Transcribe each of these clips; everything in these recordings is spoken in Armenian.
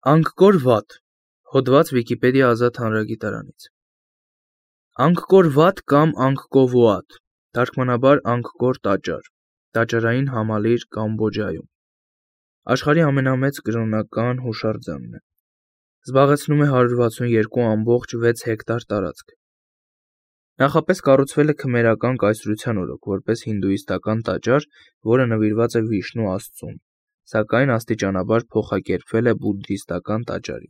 Անգկոր վատ, հոդված Վիկիպեդիա ազատ հանրագիտարանից։ Անգկոր վատ կամ անգկովուատ, թարգմանաբար անգկոր տաճար, տաճարային համալիր Կամբոջայում։ Աշխարհի ամենամեծ կրոնական հուշարձանն է։ Զբաղեցնում է 162.6 հեկտար տարածք։ Նախապես կառուցվել է քմերական կայսրության օրոք, որպես հինդուիստական տաճար, որը նվիրված է Վիշնու աստծուն, սակայն աստիճանաբար փոխակերպվել է բուդդիստական տաճարի։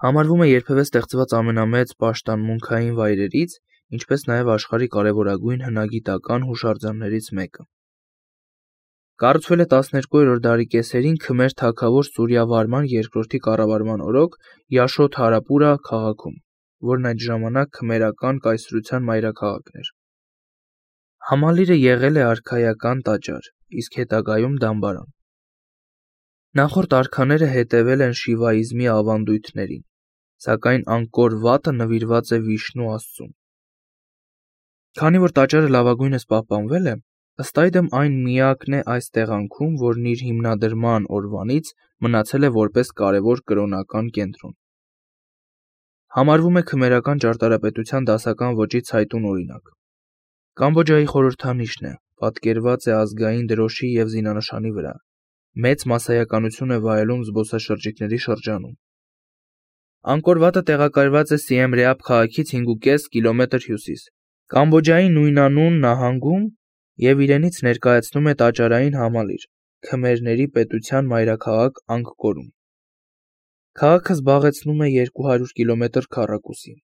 Համարվում է երբևէ ստեղծված ամենամեծ պաշտամունքային վայրերից, ինչպես նաև աշխարհի կարևորագույն հնագիտական հուշարձաններից մեկը։ Կառուցվել է 12-րդ դարի կեսերին Քմեր թագավոր Սուրյավարման II կառավարման օրոք Յաշոդհարապուրա քաղաքում, որն այդ ժամանակ քմերական կայսրության մայրաքաղաքն էր։ Համալիրը եղել է արքայական տաճար, իսկ հետագայում դամբարան։ Նախորդ արքաները հետևել են շիվաիզմի ավանդույթներին, սակայն Անգկոր վատը նվիրված է Վիշնու աստծուն։ Քանի որ տաճարը լավագույնս պահպանվել է, ըստ այդմ այն միակն է այս տեղանքում, որն իր հիմնադրման օրվանից մնացել է որպես կարևոր կրոնական կենտրոն։ Համարվում է քմերական ճարտարապետության դասական ոճի ցայտուն օրինակ։ Կամբոջայի խորհրդանիշն է, պատկերված է ազգային դրոշի և զինանշանի վրա։ Մեծ մասսայականություն է վայելում զբոսաշրջիկների շրջանում։ Անգկոր վատը տեղակայված է Սիեմ Ռեապ քաղաքից 5.5 կիլոմետր հյուսիս, Կամբոջայի նույնանուն նահանգում և իրենից ներկայացնում է տաճարային համալիր, Քմերների պետության մայրաքաղաք Անգկորում։ Քաղաքը զբաղեցնում է 200 կիլոմետր քառակուսի։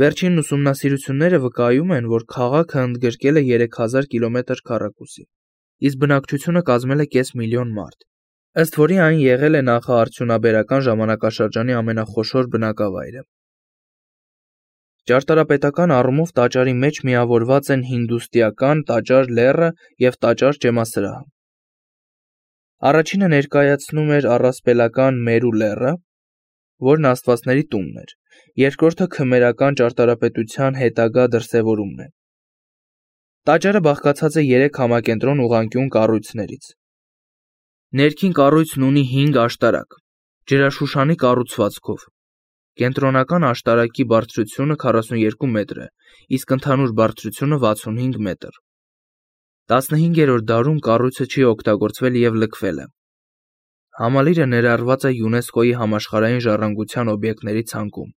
Վերջին ուսումնասիրությունները վկայում են, որ քաղաքը ընդգրկել է 3000 կիլոմետր քառակուսի, իսկ բնակչությունը կազմել է կես միլիոն մարդ, ըստ որի այն եղել է նախաարդյունաբերական ժամանակաշրջանի ամենախոշոր բնակավայրը։ Ճարտարապետական առումով տաճարի մեջ միավորված են հինդուստիական տաճար լեռը և տաճար ջեմասրահը։ Առաջինը ներկայացնում էր առասպելական Մերու լեռը, որն աստվածների տունն էր, երկրորդը քմերական ճարտարապետության հետագա դրսևորումն է։ Տաճարը բաղկացած է 3 համակենտրոն ուղղանկյուն կառույցներից։ Ներքին կառույցն ունի 5 աշտարակ, ջրաշուշանի կառուցվածքով։ Կենտրոնական աշտարակի բարձրությունը 42 մետր է, իսկ ընդհանուր բարձրությունը 65 մետր։ 15-րդ դարում կառույցը չի օգտագործվել և լքվել է։ Համալիրը ներառված է ՅՈՒՆԵՍԿՕ-ի համաշխարհային ժառանգության օբյեկտների ցանկում։